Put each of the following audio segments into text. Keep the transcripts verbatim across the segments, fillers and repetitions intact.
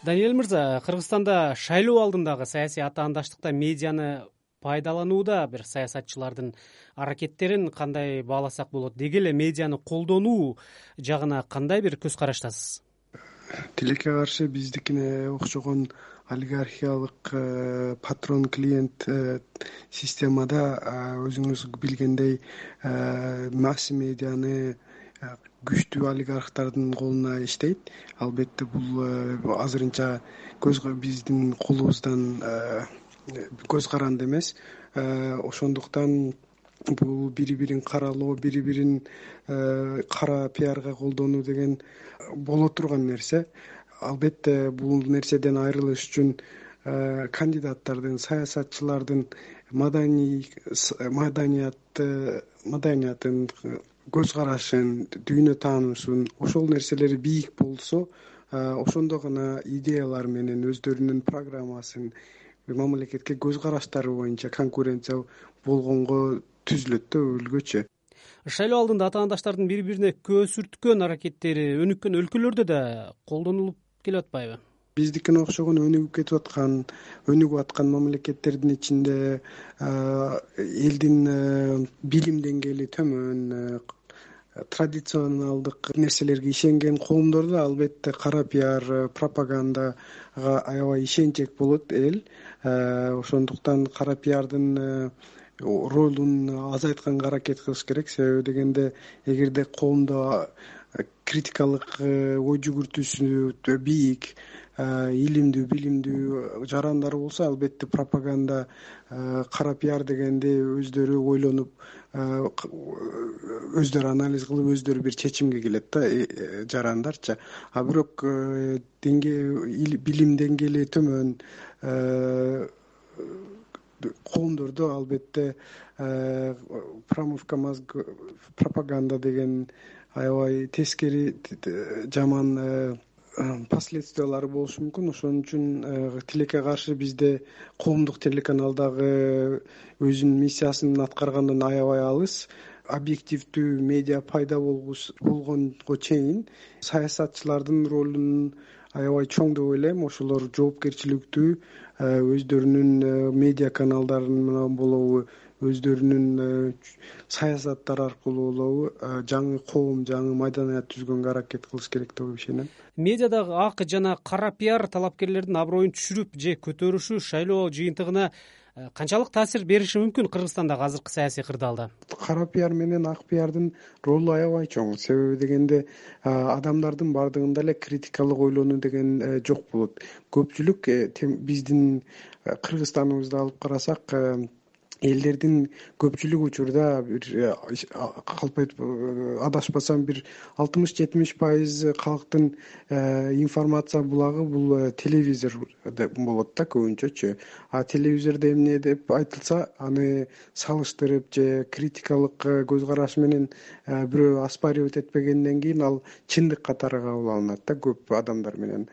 Даниэль мырза, Кыргызстанда шайлоо алдындагы саясий атаандаштыкта медианы пайдаланууда бир саясатчылардын аракеттерин кандай бааласак болот? Деги эле медианы колдонуу жагына кандай бир көз караштасыз? Тилекке каршы биздикине окшогон олигархиялык патрон клиент системада өзүңүз билгендей масс медианы күчтүү олигархтардын колуна иштейт. Албетте бул азырынча көз биздин колубуздан көз каранды эмес. Ошондуктан бул бири бирин каралоо, бири бирин кара пиарга колдонуу деген боло турган нерсе. Албетте бул нерседен айрылыш үчүн кандидаттардын, саясатчылардын маданий маданияты маданиятын, көз карашын, дүйнө таануусун, ошол нерселери бийик болсо, ошондо гана идеялар менен өздөрүнүн программасын, мамлекетке көз караштары боюнча конкуренция болгонго түзүлөт да өлгөчө. Шайлоо алдында атаандаштардын бири бирине көз сүрткөн аракеттери өнүккөн өлкөлөрдө да колдонулуп келип атпайбы? Биздикине окшогон өнүгүп кетип аткан, өнүгүп аткан мамлекеттердин ичинде элдин билим деңгээли төмөн, традиционалдык нерселерге ишенген коомдордо албетте кара пиар, пропагандага аябай ишенчек болот эл. Ошондуктан кара пиардын ролун азайтканга аракет кылыш керек. Себеби дегенде, эгерде коомдо критикалык ой жүгүртүүсү бийик, илимдүү, билимдүү жарандар болсо, албетте пропаганда, кара пиар дегенде өздөрү ойлонуп, өздөрү анализ кылып, өздөрү бир чечимге келет да жарандарчы. А бирок билим деңгээли төмөн коомдордо албетте промывка мозг, пропаганда деген аябай тескери жаман последствиялары болушу мүмкүн. Ошон үчүн тилекке каршы бизде коомдук телеканалдагы өзүнүн миссиясын аткаргандан аябай алыс. Объективдүү медиа пайда болгонго чейин саясатчылардын ролун аябай чоң деп ойлойм. Ошолор жоопкерчиликтүү, өздөрүнүн медиа каналдары менен болобу, өздөрүнүн саясаттары аркылуу болобу жаңы коом, жаңы маданият түзгөнгө аракет кылыш керек деп ишенем. Медиадагы ак жана кара пиар талапкерлердин аброюн түшүрүп же көтөрүшү шайлоо жыйынтыгына канчалык таасир бериши мүмкүн Кыргызстандагы азыркы саясий кырдаалда? Кара пиар менен ак пиардын ролу аябай чоң. Себеби дегенде, адамдардын бардыгында эле критикалык ойлонуу деген жок болот. Көпчүлүк биздин Кыргызстаныбызды алып карасак, элдердин көпчүлүк учурда бир калп адашпасам бир алтымыш жетимиш пайыз калктын информация булагы бул телевизор болот да көбүнчөчү. А телевизордо эмне деп айтылса, аны салыштырып же критикалык көз караш менен бирөө оспаривать этпегенден кийин ал чындык катары кабыл алынат да көп адамдар менен.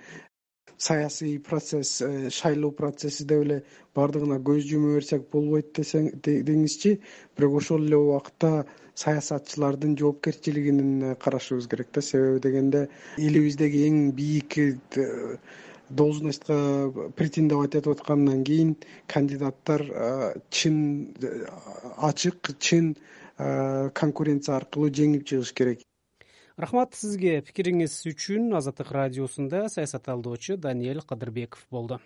Саясий процесс, шайлоо процесси деп эле бардыгына көз жума берсек болбойт деңизчи, бирок ошол эле убакта саясатчылардын жоопкерчилигин карашыбыз керек да. Себеби дегенде, элибиздеги эң бийик должностько претендовать этип аткандан кийин кандидаттар чын, ачык, чын конкуренция аркылуу жеңип чыгыш керек. Рахмат сизге пикириңиз үчүн. Азаттык радиосунда саясат талдоочу Даниэль Кадырбеков болду.